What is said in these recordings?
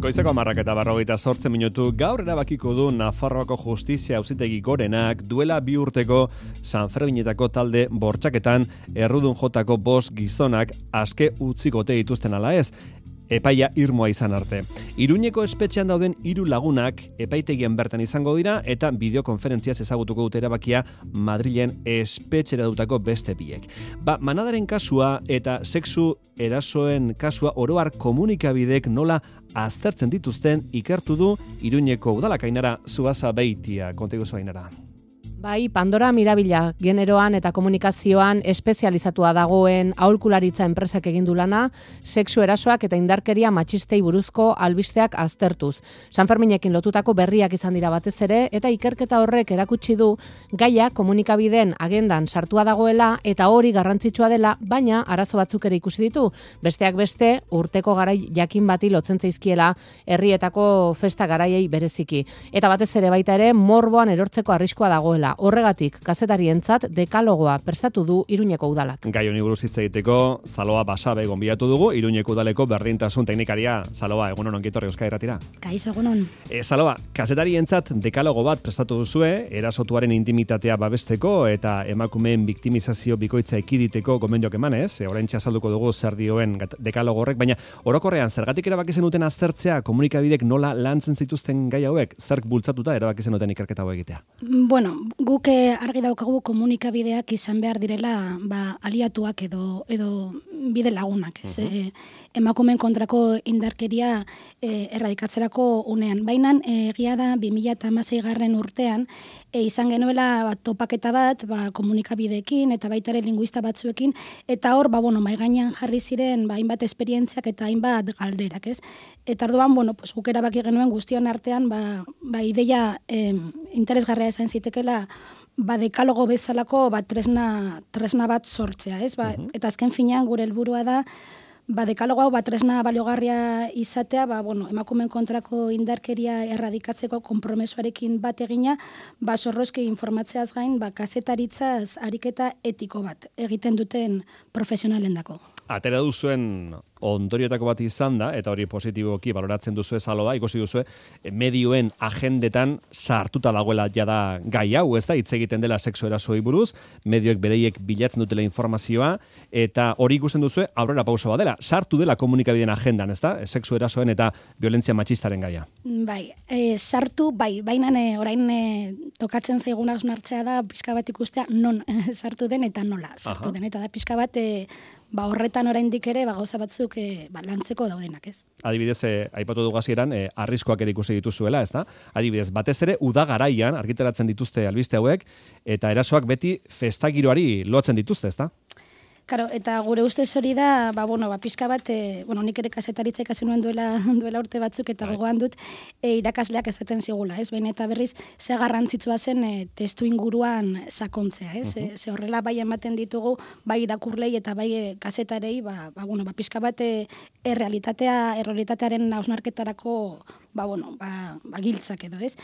Goizeko 10:48 gaur erabakiko du Nafarroako Justizia Auzitegi Gorenak duela 2 urteko Sanferminetako talde bortxaketan errudun jotako 5 gizonak aske utzikote dituzten ala ez. Epaia irmoa izan arte. Iruñeko espetxean dauden 3 lagunak epaitegian bertan izango dira eta bideokonferentziaz ezagutuko dute erabakia Madrilen espetxera dutako beste biek. Manadaren kasua eta sexu erasoen kasua oro har komunikabidek nola aztertzen dituzten ikertu du Iruñeko udalak. Ainara Zuaza Beitia, konta iguzu Ainara. Bai, Pandora Mirabila generoan eta komunikazioan espezializatua dagoen aholkularitza enpresak egin du lana, sexu erasoak eta indarkeria matxistei buruzko albisteak aztertuz. Sanferminekin lotutako berriak izan dira batez ere, eta ikerketa horrek erakutsi du gaia komunikabideen agendan sartua dagoela eta hori garrantzitsua dela, baina arazo batzuk ere ikusi ditu. Besteak beste, urteko garai jakin bati lotzen zaizkiela herrietako festa garaiei bereziki. Eta batez ere baita ere, morboan erortzeko arriskua dagoela. Horregatik, kazetarientzat dekalogoa prestatu du Iruñeko udalak. Gai honi buruz hitz egiteko, Zaloa Basabe gonbidatu dugu, Iruñeko udaleko berdintasun teknikaria. Zaloa, egunon ongi etorri Euskadi Irratira. Kaixo, egunon. Zaloa, kazetarientzat dekalogo bat prestatu duzue, erasotuaren intimitatea babesteko eta emakumeen biktimizazio bikoitza ekiditeko gomendioak emanez, oraintxe azalduko dugu zer dioen dekalogo horrek, baina orokorrean zergatik erabaki zenuten aztertzea komunikabidek nola lantzen zituzten gai hauek, zerk bultzatuta erabaki zenuten ikerketa hau egitea? Bueno, guk argi daukagu komunikabideak izan behar direla aliatuak edo bide lagunak. Emakumeen kontrako indarkeria erradikatzerako unean. Baina egia da 2016 urtean izan genuela topaketa bat komunikabideekin eta baita ere linguista batzuekin eta hor mahai gainean jarri ziren hainbat esperientziak eta hainbat galderak, ez? Eta orduan guk erabaki genuen guztion artean ideia interesgarria izan zitekeela dekalogo bezalako tresna bat sortzea, ez? Eta azken finean gure helburua da dekalogo hau tresna baliogarria izatea, emakumeen kontrako indarkeria erradikatzeko konpromesuarekin bat egina, zorrozki informatzeaz gain, kazetaritzaz ariketa etiko bat egiten duten profesionalendako. Atera duzuen ondorioetako bat izan da, eta hori positiboki baloratzen duzue Zaloa, ikusi duzue, medioen agendetan sartuta dagoela jada gai hau, ez da, hitz egiten dela sexu erasoi buruz, medioek bereiek bilatzen dutela informazioa, eta hori ikusten duzue aurrera pauso bat dela, sartu dela komunikabideen agendan, ez da, sexu erasoen eta violentzia matxistaren gaia. Bai, sartu, baina orain tokatzen zaigun hausnartzea da, pixka bat ikustea non sartu den eta nola sartu den, eta da pixka bat horretan oraindik ere gauza batzuk lantzeko daudenak, ez? Adibidez, aipatu dugu hasieran, arriskoak ere ikusi dituzuela, ez da? Adibidez, batez ere uda garaian argitaratzen dituzte albiste hauek eta erasoak beti festagiroari lotzen dituzte, ez da? Karo, eta gure ustez hori da, pixka bat, nik ere kazetaritza ikasi nuen duela urte batzuk, eta gogoan dut irakasleak ezaten zigula, ez? Baina eta berriz, ze garrantzitsua zen testu inguruan sakontzea, ez? Ze horrela bai ematen ditugu, bai irakurlei eta bai kazetarei, pixka bat errealitatearen hausnarketarako giltzak edo, ez?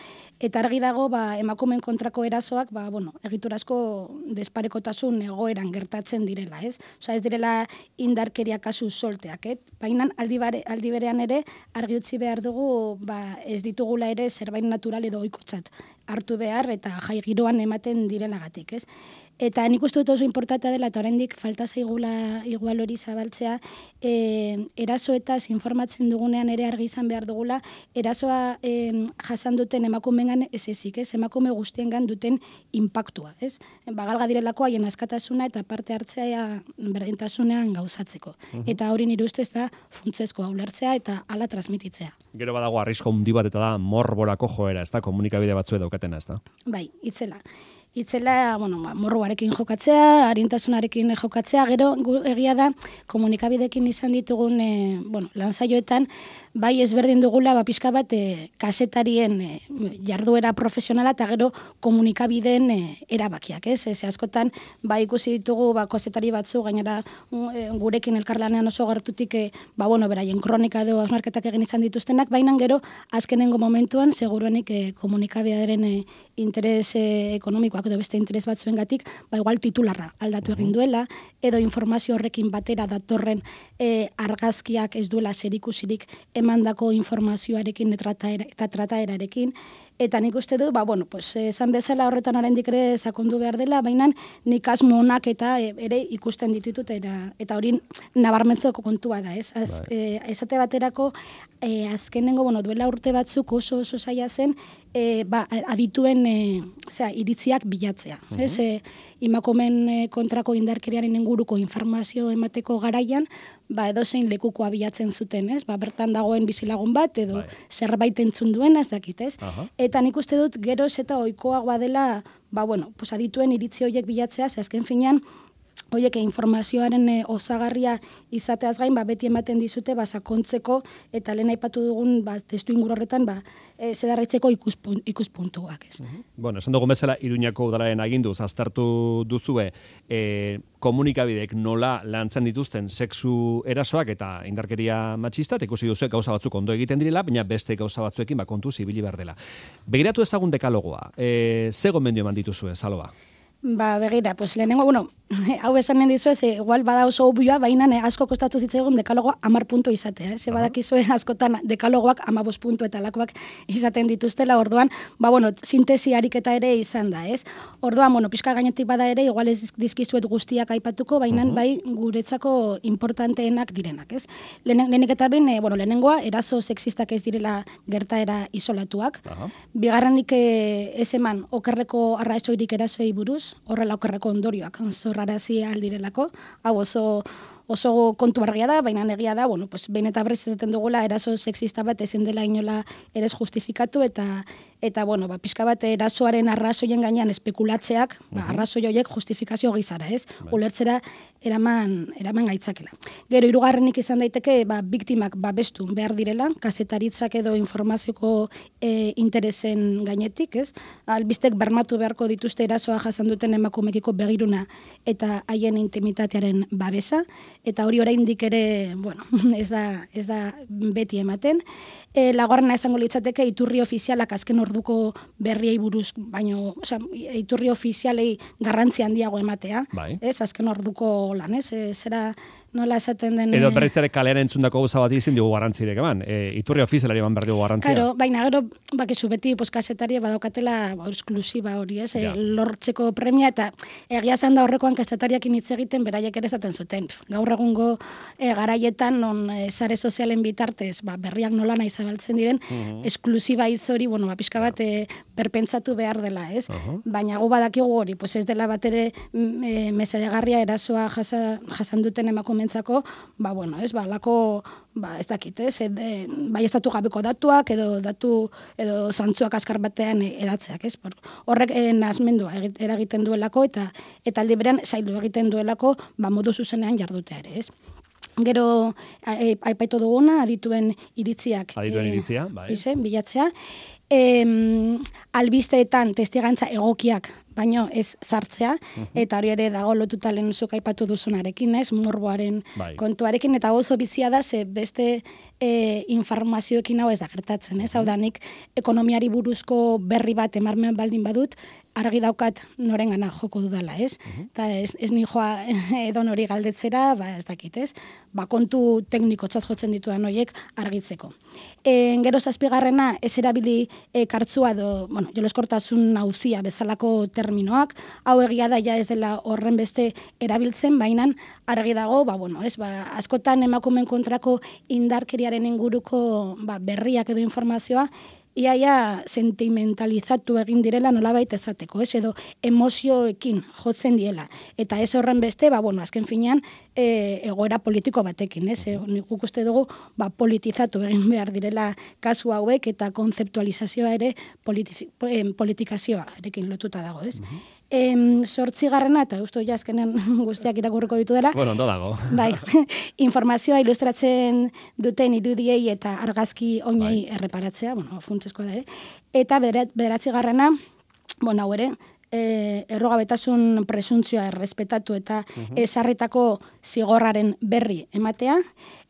Eta argi dago, emakumeen kontrako erasoak, egiturazko desparekotasun egoeran gertatzen direla, ez? Osa, ez direla indarkeria kasu solteak, baina aldi berean ere argi utzi behar dugu ez ditugula ere zerbait natural edo ohikotzat hartu behar eta jai giroan ematen direlagatik, ez? Eta nik uste dut oso importantea dela, eta oraindik falta zaigula igual hori zabaltzea, erasoetaz informatzen dugunean ere argi izan behar dugula, erasoa jasan duten emakumeengan ez ezik, ez? Emakume guztiengan duten inpaktua, ez? Galga direlako haien askatasuna eta parte hartzea berdintasunean gauzatzeko. Eta hori nire ustez da funtsezkoa ulertzea eta hala transmititzea. Gero badago arrisko handi bat eta da morborako joera, ez da? Komunikabide batzuek daukatena, ez da? Bai, itzela, morroarekin jokatzea, arintasunarekin jokatzea, gero egia da komunikabidekin izan ditugun lansaioetan, bai ezberdin dugula pixka bat kazetarien jarduera profesionala eta gero komunikabideen erabakiak, ez? Ze askotan ikusi ditugu kazetari batzu gainera gurekin elkarlanean oso gertutik beraien kronika edo hausnarketak egin izan dituztenak, baina gero azkenengo momentuan seguruenik komunikabidearen interes ekonomikoak politikoak edo beste interes batzuengatik, ba igual titularra aldatu egin duela, edo informazio horrekin batera datorren argazkiak ez duela zerikusirik emandako informazioarekin eta trataerarekin. Eta nik uste dut, esan bezala horretan oraindik ere sakondu behar dela, baina nik asmo onak eta ere ikusten ditut eta hori nabarmentzeko kontua da, ez? Esate baterako, azkenengo, duela urte batzuk oso zaila zen, adituen iritziak bilatzea, ez? Emakumeen kontrako indarkeriaren inguruko informazio emateko garaian, edozein lekukoa bilatzen zuten, ez? Bertan dagoen bizilagun bat, edo zerbait entzun duena, ez dakit, ez? Eta nik uste dut geroz eta ohikoagoa dela, adituen iritzi horiek bilatzea, ze azken finean, horiek informazioaren osagarria izateaz gain, beti ematen dizute, sakontzeko, eta lehen aipatu dugun, testu inguru horretan, zedarritzeko ikuspuntuak, ez. Bueno, esan dugun bezala, Iruñako udalaren aginduz, aztertu duzue, komunikabideek nola lantzen dituzten sexu erasoak eta indarkeria matxista, ikusi duzuek gauza batzuk ondo egiten direla, baina beste gauza batzuekin kontuz ibili behar dela. Begiratu ezagun dekalogoa, ze gomendio eman dituzue, Saloba? Begira, lehenengo, hau esanen dizuez, igual bada oso obioa, baina asko kostatu zitzaigun dekalogoa 10 puntu izatea. Ze badakizue askotan dekalogoak 15 puntu eta lakoak izaten dituztela, orduan, sintesi ariketa ere izan da, ez? Orduan, pixka gainetik bada ere, igual ez dizkizuet guztiak aipatuko, baina bai guretzako importanteenak direnak, ez? Lehenik eta ben, lehenengoa, eraso sexistak ez direla gertaera isolatuak. Bigarrenik ez eman okerreko arrazoirik erasoei buruz, horrela okerreko ondorioak zorrarazi aldirelako, hau oso kontu argia da, baina egia da, behin eta berriz esaten dugula eraso sexista bat ezin dela inola ere justifikatu eta pixka bat erasoaren arrazoien gainean espekulatzeak, arrazoi horiek justifikazio gizara, ez? Ulertzera eraman gaitzakela. Gero, hirugarrenik izan daiteke, biktimak babestu behar direla, kazetaritzak edo informazioko interesen gainetik, ez? Albistek bermatu beharko dituzte erasoa jasan duten emakumekiko begiruna eta haien intimitatearen babesa, eta hori oraindik ere, ez da beti ematen. Laugarrena esango litzateke iturri ofizialak azken orduko berriei buruz, baino, iturri ofizialei garrantzi handiago ematea, ez? Azken orduko lan, ez? Zera nola esaten den... Edo berriz ere kalean entzundako gauza bat izin dugu garrantzirek eman. Iturri ofizialari eman behar dugu garrantzia. Claro, baina gero, bakizu beti kazetari badaukatela esklusiba hori, ez? Lortzeko premia eta egia zan da horrekoan kazetariakin hitz egiten beraiek ere esaten zuten. Gaur egungo garaietan non sare sozialen bitartez berriak nola nahi zabaltzen diren, esklusiba hitz hori, pixka bat perpentsatu behar dela, ez? Baina gu badakigu hori, ez dela bat ere mesedegarria erasoa jasan duten emakumentzako, lako, ez dakit, ez? Bai estatu gabeko datuak edo zantzuak azkar batean edatzeak, ez? Horrek nahasmendua eragiten duelako eta aldi berean zaildu egiten duelako modu zuzenean jardutea ere, ez? Gero, aipaitu duguna, adituen iritziak. Adituen iritzia, bai. Bilatzea. Albisteetan testigantza egokiak, baino ez sartzea, eta hori ere dago lotuta lehen zuk aipatu duzunarekin, ez, morboaren kontuarekin, eta oso bizia da, ze beste informazioekin hau ez da gertatzen, ez, hau da nik ekonomiari buruzko berri bat emarmen baldin badut, argi daukat norengana joko dudala, ez? Eta ez nijoa edo nori galdetzera, ez dakit, ez? Kontu teknikotzat jotzen ditudan horiek argitzeko. Gero zazpigarrena, ez erabili kartzua edo, joleskortasun nauzia bezalako terminoak, hau egia da ja ez dela horren beste erabiltzen, baina argi dago, askotan emakumeen kontrako indarkeriaren inguruko berriak edo informazioa, iaia sentimentalizatu egin direla nolabait ezateko, ez, edo emozioekin jotzen diela. Eta ez horren beste, azken finean, egoera politiko batekin, ez, nik uste dugu, politizatu egin behar direla kasu hauek eta konzeptualizazioa ere politikazioa erekin lotuta dago, ez. 8. eta uste azkenen guztiak irakurriko ditu dela. Ondo dago. Bai, informazioa ilustratzen duten irudiei eta argazki oinei erreparatzea, funtsezkoa da ere. Eta 9. hau ere, errugabetasun presuntzioa errespetatu eta ezarritako zigorraren berri ematea,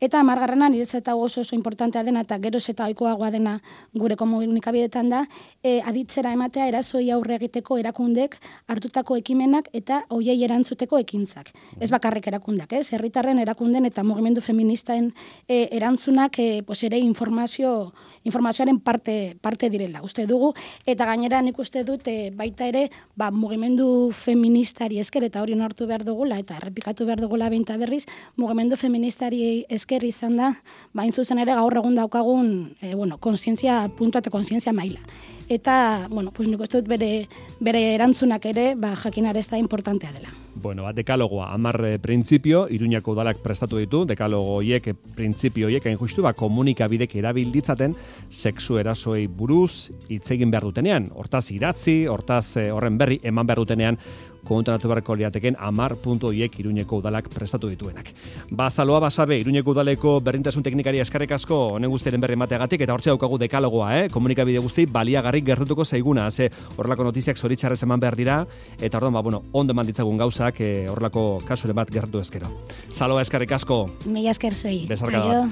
eta 10. niretzat oso importantea dena eta geroz eta ohikoagoa dena gure komunikabideetan da, aditzera ematea erasoi aurre egiteko erakundek hartutako ekimenak eta hoiei erantzuteko ekintzak. Ez bakarrik erakundeak, herritarren erakunden eta mugimendu feministaen erantzunak ere informazioaren parte direla, uste dugu, eta gainera nik uste dut baita ere mugimendu feministari esker, eta hori onartu behar dugula, eta errepikatu behar dugula behinta berriz, mugimendu feministari esker izan da, hain zuzen ere gaur egun daukagun konsientzia puntua eta konsientzia maila. Eta, nik uste dut bere erantzunak ere, jakinare ez da importantea dela. Dekalogoa, 10 printzipio, Iruñako udalak prestatu ditu, dekalogo horiek, printzipio horiek, hain justu, komunikabidek erabilditzaten sexu erasoei buruz hitz egin behar dutenean. Hortaz idatzi, hortaz horren berri eman behar dutenean, kontuatu beharko liateken 10 puntu horiek Iruñeko udalak prestatu dituenak. Bazaloa Basabe, Iruñeko udaleko berdintasun teknikari eskerrik asko honen guztiaren berri emateagatik, eta hortxe daukagu dekalogoa, komunikabide guzti baliagarri gertutuko zaiguna, horrelako notiziak zoritxarrez eman behar dira, eta orduan, ondo eman ditzagun gauzak horrelako kasuren bat gertu ezkero. Zaloa eskerrik asko. Mila esker zuei. Bezarka da.